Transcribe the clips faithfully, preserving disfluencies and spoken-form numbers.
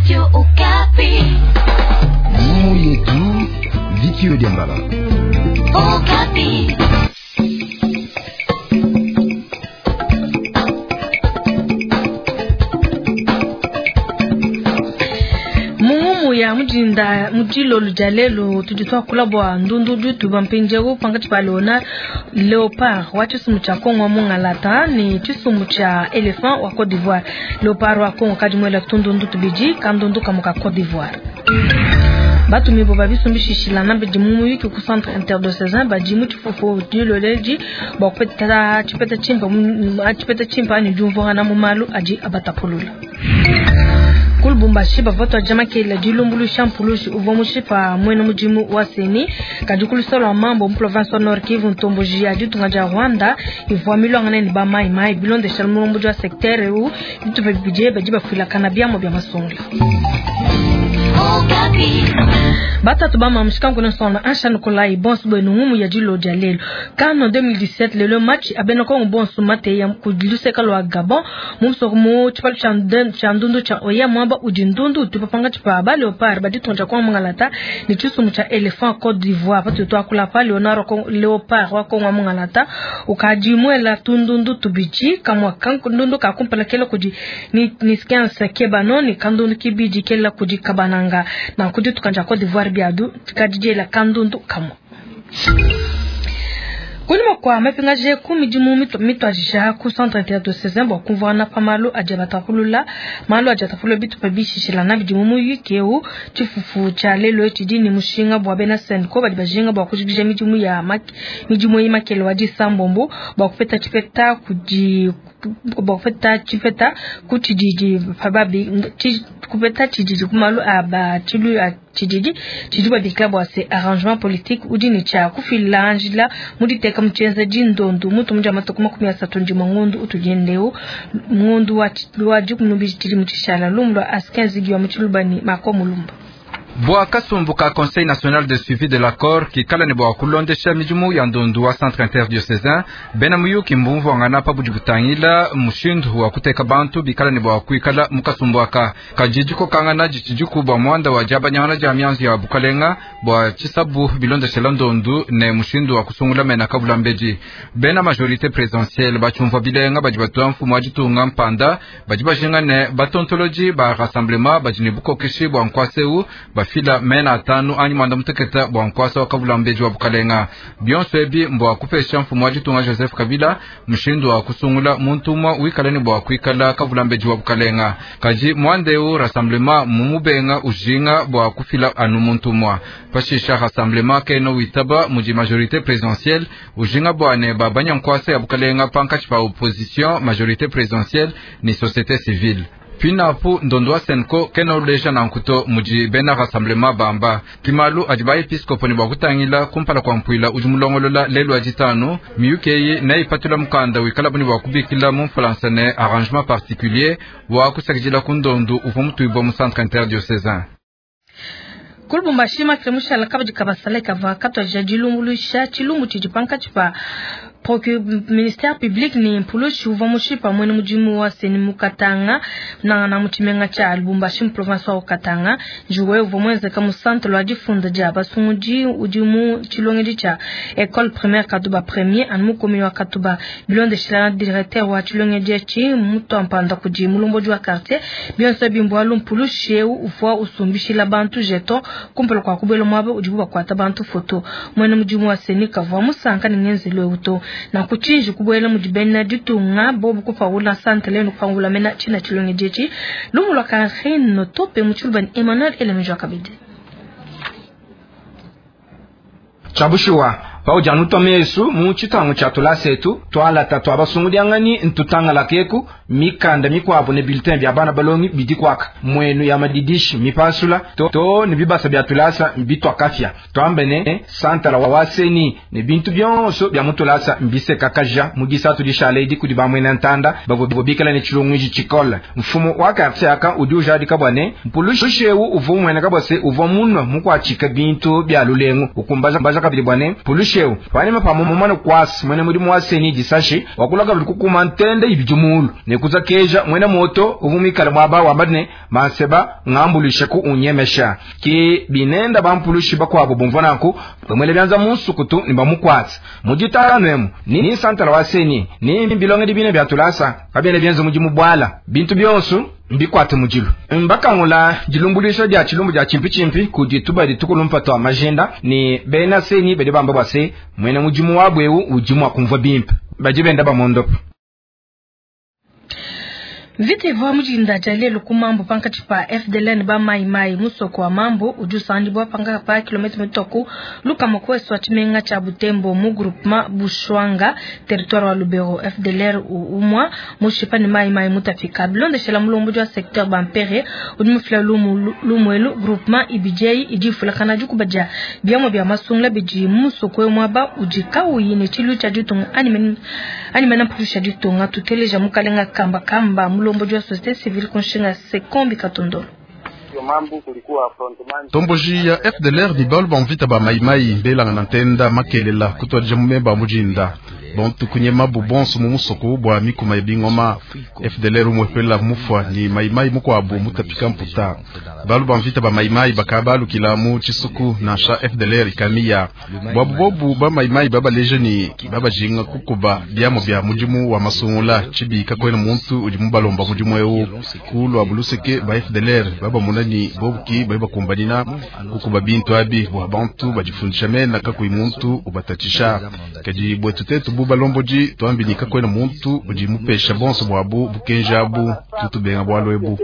Radio Okapi. Ngumu yetu Viki Odiambala. Okapi. Mungumu ya mujinda mujilolu dia lelo tudi tuakula bua ndundu dutu mpindieu pankatshi pa leona léopard wa tshisumbu tshia Kongo wa mungalata ne tshisumbu tshia éléphant wa Côte d'Ivoire. Léopard wa Kongo kadi muela tundundu tubidi kandundu kamue ka Côte d'Ivoire. Batumibo babisumbishishilana bidi mu muyuki ku centre interdiocésain badi mu tshifufu diloledi bua kupeta tshipeta tshimpe tshipeta tshimpe anyi diumvuangana mu malu adi abatapulula. Ku Lubumbashi bavua tuadija makelela dilumbuluisha mpulushi uvua mushipa muena mudimu wa CENI kadi ku luseke lua mambo mu province wa Nord Kivu ntomboji ya ditunga dia Rwanda ivua miluangane ne ba mai mai bilondeshela mulombodi wa secteur eu bitupa bibidi badi bafuilakana biamua bia masungula. Okapi. Batatu bamamushika nkuna nsonga ansha Nikolai bonso bwenu ngumu ya dilo dia lelo CAN deux mille dix-sept lelo match abena Kongo bonso mateya ku luseka lua Gabon mu musoko mu tshipalu tshia ndundu tshia Oya mwaba udi ndundu utupa pankatshi pa ba léopard ba ditunga dia Kongo mungalata ne tshisumbu tshia éléphant Côte d'Ivoire. Patudi tuakula pa Leonard léopard wa Kongo mungalata ukadi muela tundundu tubidi kamua kandundu ka kumpala kela kudi Niskens Kebano ne kandundu kibidi kela kudi Kabananga na kudi tukanja Côte d'Ivoire biadu kadidiela kandundu kamua. Kunyima kua mapingaje ku midimu mituadija ku centre interdiocésain bua kumvuana pa malu adi abatapulula malu adi atapulula bitupa bishishilana bidi mu muyuki eu tshifufu tshia lelo tshidi ne mushinga bua bena CENCO badi bajinga bua kujikija midimu ya midimu eyi makele wa disambombo bua kupeta tshipeta kudi bua kupeta tshipeta ku tshididi pababi kupeta tshididi ku malu a ba tshilu a tshididi tshidi babikila bua se arrangement politique udi ne tshia kufila njila mu diteka mu tshienza ndondu mutu mudia matuku makumi asatu ndimue ngondu utudiendeu ngondu wa wa dikumi n'ubidi tshidimu tshishala lumu lua Askin Zigi wa mu Tshiluba ne Mako Mulumba. Bua kasumbu ka Conseil national de suivi de l'accord kikala ne bua kulondesha midimu ya ndondu wa centre interdiocésain, bena muyuki mbumvuangana pa budi butangila mushindu wa kuteka bantu bikala ne bua kuikala mu kasumbu aka. Kadi dikokangana ditshidi bua muanda wa diabanyangana dia mianzu ya bukalenga bua tshisabu bilondeshela ndondu ne mushindu wa kusungula mena kavula mbedi. Bena majorité présidentielle batshiumvua bilenga badi batua mfumu wa ditunga mpanda, badi bajinga ne batontoloji ba rassemblement badi ne bukokeshi bua nkuasa eu bafila mena atanu anyi mwanda muteketa bua nkuasa wa kavula mbedi wa bukalenga. Bionso ebi mbua kupesha mfumu wa ditunga Joseph Kabila mushindu wa kusungula muntu umue wikala ne bua kuikala kavula mbedi wa bukalenga. Kadi muanda eu rassemblement mumubenga, ujinga bua kufila anu muntu umue. Pashisha rassemblement kena witaba mudi majorité présidentielle ujinga bua ne babanya nkuasa ya bukalenga pankatshi pa opposition, majorité présidentielle ni société civile. Pinapu ndondo wa CENCO kena uleja nankuto mudi bena rassemblement bamba kimalu adi baepiskopo ne bua kutangila kumpala kua mpuila udi mulongolola lelu wa ditanu. Miyuki eyi neipatula mukanda wikala buni bua kubikila mu mfulansa ne arrangement particulier wa kusakidila ku ndondu uvua mutuibua mu centre interdiocésain. Ku Lubumbashi makile mushala kabadi kabasala kava katuadija dilumbuluisha tshilumbu tshidi pankatshi pa ministère public ne mpulushi uvua mushipa muena mudimu wa CENI mu Katanga nangana mu tshimenga tshia Lubumbashi mu province wa Katanga. Njuwe uvua muenzeka mu centre lwa difunda dia basungudi udi mu tshilongedi tshia école primaire Katuba premier anu mu commune wa Katuba. Bilondeshela directeur wa tshilongedi etshi mutu kudi mulombodi wa quartier bionso bimbualu mpulushi eu uvua usumbishila bantu jeton kumpala kua kubwela muaba udibu bakuata bantu foto. Muena mudimu wa CENI kavua musanka ne ngenzelu eu to nanku tshinji kubuela mudi bena ditunga bobu kupawula santre lenu kupangula mena tshina tshilongedi etshi. Lumu lua Karine Tope mu Tshiluba ne Emmanuel Elemejwa kabidi. Tshia paudi anu tua mesu mu tshitangu tshia tulasa etu tualata tua basungudianganyi ntutangala keku mikanda mikuabu ne bulletin bia bana balongi bidi kuaka muenu ya madidishi mipasula to, to ne bibasa bia tulasa bituakafia tuambe ne santala wa CENI ne bintu bionso bia mutulasa mbisekakaja mu disatu dishala edi kudi bamuena ntanda bavua bikala ne tshilunguiji tshikole. Mfumu wa quartier aka udi ujadika bua ne mpulushi eu uvua umueneka bua se uvua munua mukuatshika bintu bia lulengu ukumbaja kabidi bua ne mpulushi Mpulushi panyima pa mumane kwasi mwene mudimu wa seni disashi wakulaka buli kukuma ntende ibidi mulu ne kuzakeja mwene moto uvumikala mwaba wamba ne manseba ngambulishe ku unyemesha ke binenda bampulushi bakwabo bumva nanku bamwele byanza munsukutu ni bamukwatsa mujitano emu ni, ni santala wa seni ni bilonge dibine bya tulasa kabene byenza mudimu bwala bintu byonso mbikwate mujilu mbakangula dilumbulisho dia chilumbu dia chimpi kudi tuba ditukulumpa twa majenda ni bena seni bedi bamba bwase mwene mudimu wabwewu udimu akumva bimpe baji benda bamondopa. Vita ivua mujinda dia lelu ku mambo pankatshi pa F D L N ba mai mai musoko wa mambo udi usandibwa panga pa kilomita mitoku lukama kwesu wa tshimenga tshia Butembo mu groupement Bushwanga territoire wa Lubero. F D L R umwa mushipa ni mai mai mutafika bilondeshela mulombo wa secteur bampere udi mufila lumu lumwelu groupement I B J idi fulakana dikubadia biamwa bia masungula bidi musoko mwaba udi kauyi ne tshilu tshia ditunga animen animena mpusha ditunga tuteleja mukalenga kamba kamba mulombo wa société civile kunshinga Sekombi Katondolo. Tomboji ya F D L R ni balu bamvita ba maimai mbelanga na ntenda makelela kutwadija mumemba mujinda bontu kunyema bubonso mu musoko bwa mikuma ya bingoma. F D L R umwepela mufwa ni maimai mukwabu mutapika mputa balu bamvita ba maimai bakabalukila mu chisuku na sha F D L R ikamiya bwabu bobu ba maimai babaleje ni babajinga kukuba byamo bya mudimu wa masungula chibika kwena muntu udi mubalomba mudimu ewu kulwa buluseke ba F D L R baba munani bobuki bali bakumbanina kukuba bintu abi bwa bantu bajifundisha mena kakui muntu ubatatisha kadi bwetu tetu bu balomboji twambinika kwena muntu udi mupesha bonso bwabu bukenjabu tutubenga bwalwebu.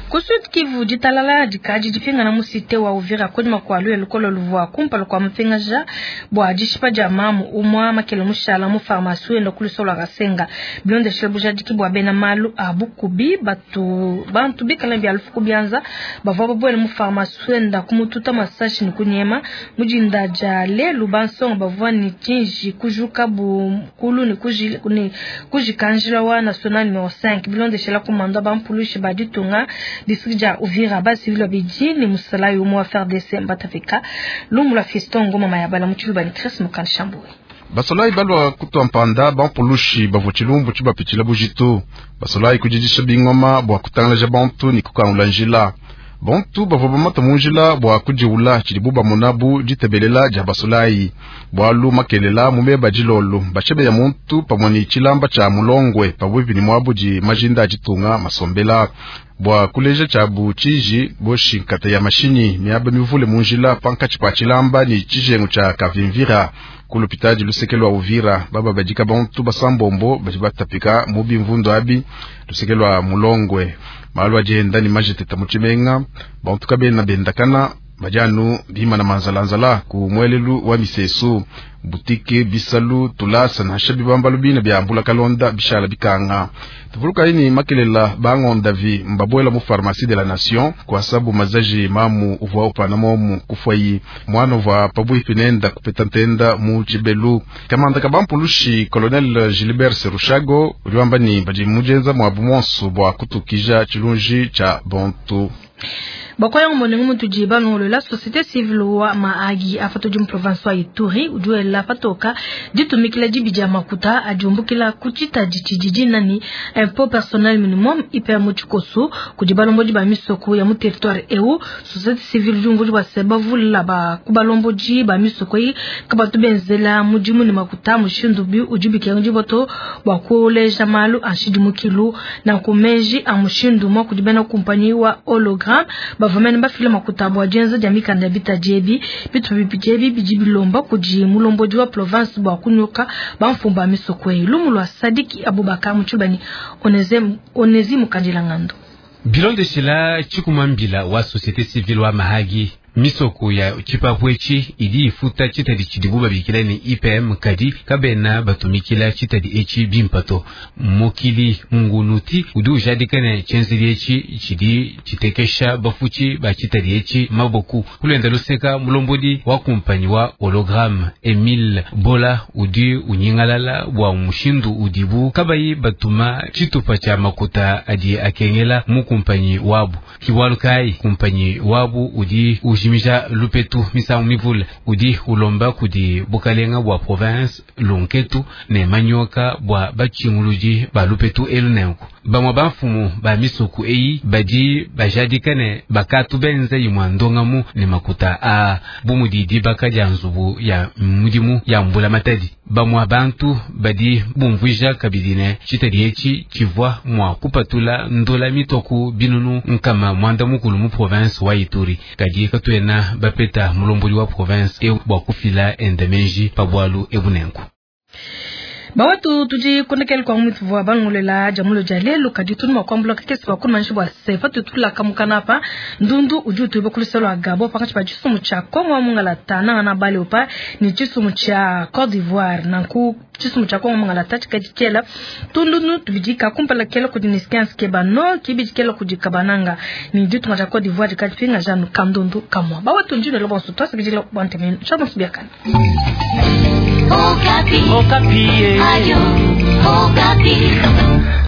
Ku Sud Kivu ditalala dikadi dipingana mu cité wa Uvira kodima kwa lwe lukolo luvua kumpala kwa mupingaja bwa dishipa dia mamu umwa makele mushala mu pharmacie endo kulusola kasenga bilonde buja dikibwa bena malu abukubi batu bantu bikala bya lufuku byanza bavua babwele mu pharmacie enda kumututa masashi ni kunyema mujinda ja lelu bansonga bavua ni tinji kujuka bu kulu ni kuji ni kujikanjila wa national numero cinq bilonde shela komanda bampulushi baditunga district ja Uvira basi vilo biji ni musala yumo wa F R D C mbatafika lumula fiston ngoma mayabala mutulu ni Chris Mukanshambuwe. Basolai balwa kutwa mpanda bampulushi bavua tshilumbu tshibapitshila bujitu basolai kujijisha bingoma bwa kutangalaja bantu ni kukangula njila bantu bavua bamata munjila bwa kujiula tshidibu bamona bu ditebelela dia basolai bwalu makelela mumeba dilolo bashebeya muntu pamue ni tshilamba tshia mulongwe pabwipi ni mwabu di majinda aditunga masombela bwa kuleja tshiabu tshiji boshi nkata ya mashinyi miaba mivule munjila pankatshi pa tshilamba ni tshijengu tshia kavimvira kulupitadi luseke lwa Uvira baba badika bantu basambombo badi batapika mubi mvundu abi luseke lwa mulongwe malu adienda ni majeteta mu tshimenga bantu kabena bendakana badianu bimana manzalanzala ku mwelelu wa misesu butike bisalu tulasa nasha bibambalu bina bya mbula kalonda bishala bikanga tuvuluka ini makelela bangonda vi mbabwela mu pharmacie de la nation kwa sabu mazaji mamu uvwa upana momu kufwayi mwana uvwa pabwipi nenda kupeta ntenda mu chibelu kamanda kabampulushi colonel Gilbert Serushago uliwamba ni badi mujenza mwabu monso bwa kutukija chilunji cha bontu. Bakoya ngomonengu mutuji banolo la société civile wa maagi afato jum province wa Ituri ujuela patoka ditumikila dibidi ya makuta ajumbukila kuchita ditshididi nani impôt personnel minimum I P M muchikoso kudi balomboji ba misoko ya mu territoire eu société civile jumbuji ba seba vula ba kubalomboji ba misoko yi kabatu benzela mudimu ni makuta mushindu bi ujubike njiboto bwa kuoleja malu anshidi mukilu na kumenji amushindu mwa kudibena kumpanyi wa hologram bavamene bafila makuta bwa jenza dia mikanda bita jebi bitu bipijebi bidi bilomba kudi mulomboji wa province bwa kunyoka bamfumba misoko yi lumu lwa Sadiki Abubakar Mutshibani oneze onezi mukandila ngando. Bilondeshela tshikumambila wa société civile wa Mahagi misoko ya tshipapwechi idi ifuta tshitadi tshidibu babikila ni I P M kadi kabena batumikila tshitadi etshi bimpato mokili ngunuti udi ujadikane tshenzeli etshi tshidi tshitekesha bafuchi ba tshitadi etshi maboku kulenda luseka mulombodi wa kumpanyi wa hologramme Emile Bola udi unyingalala bwa mushindu udibu kabayi batuma tshitupa tshia makuta adi akengela mu kumpanyi wabu kiwalu kai kumpanyi wabu udi ujimi ujimija lupetu misangu mivule. Udi ulomba kudi bukalenga bua province lunketu ne manyoka bua bachinguludi ba lupetu elu nenku. Bamwe bamfumu ba misuku eyi badi bajadika ne bakatu benze imwa ndongamu ne makuta a bumudi dibaka dia nzubu ya mudimu ya mbula matadi. Bamwe bantu badi bumvuija kabidi ne tshitadi etshi tshivua mua kupatula ndola mitoku binunu nkama mwanda mukulu mu province wa Ituri. Kadi katuena bapeta mulombodi wa province e bua kufila endemenji pa bwalu ebunenku. Bawatu tudi kondekele kwa mwitu vwa bangolela jamulo ja lelo kadi tunu makwambula kakesi bakumanyishi bwa sefa tutula kamukana pa ndundu udi utuiba kuluselo wa Gabon pakati pa tshisumu tshia Kongo wa mungalata nanga na bale opa ni tshisumu tshia Côte d'Ivoire nanku tshisumu tshia Kongo mungalata tshikadi tshiela tundunu tubidika kumpala kela kudi niskense kebano kibidi kela kudi kabananga ni ditunga tshia Côte d'Ivoire dikadi pinga janu kandundu kamwa bawatu ndino lobonso twasakidila bwantemenu tshabonso biakana. Okapi. Okapi. Ayo, Okapi.